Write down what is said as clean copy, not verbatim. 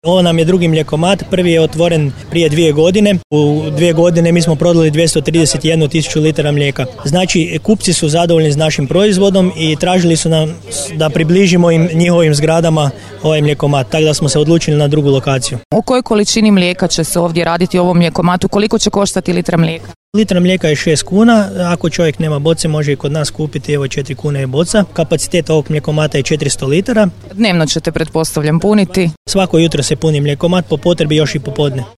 Ovo nam je drugi mljekomat, prvi je otvoren prije 2 godine. U 2 godine mi smo prodali 231.000 litara mlijeka. Znači, kupci su zadovoljni s našim proizvodom i tražili su nam da približimo im njihovim zgradama ovaj mljekomat, tako da smo se odlučili na drugu lokaciju. O kojoj količini mlijeka će se ovdje raditi u ovom mljekomatu? Koliko će koštati litra mlijeka? Litra mlijeka je 6 kuna, ako čovjek nema boce može i kod nas kupiti, evo 4 kune je boca. Kapacitet ovog mljekomata je 400 litara. Dnevno ćete, pretpostavljam, puniti? Svako jutro se puni mljekomat, po potrebi još i popodne.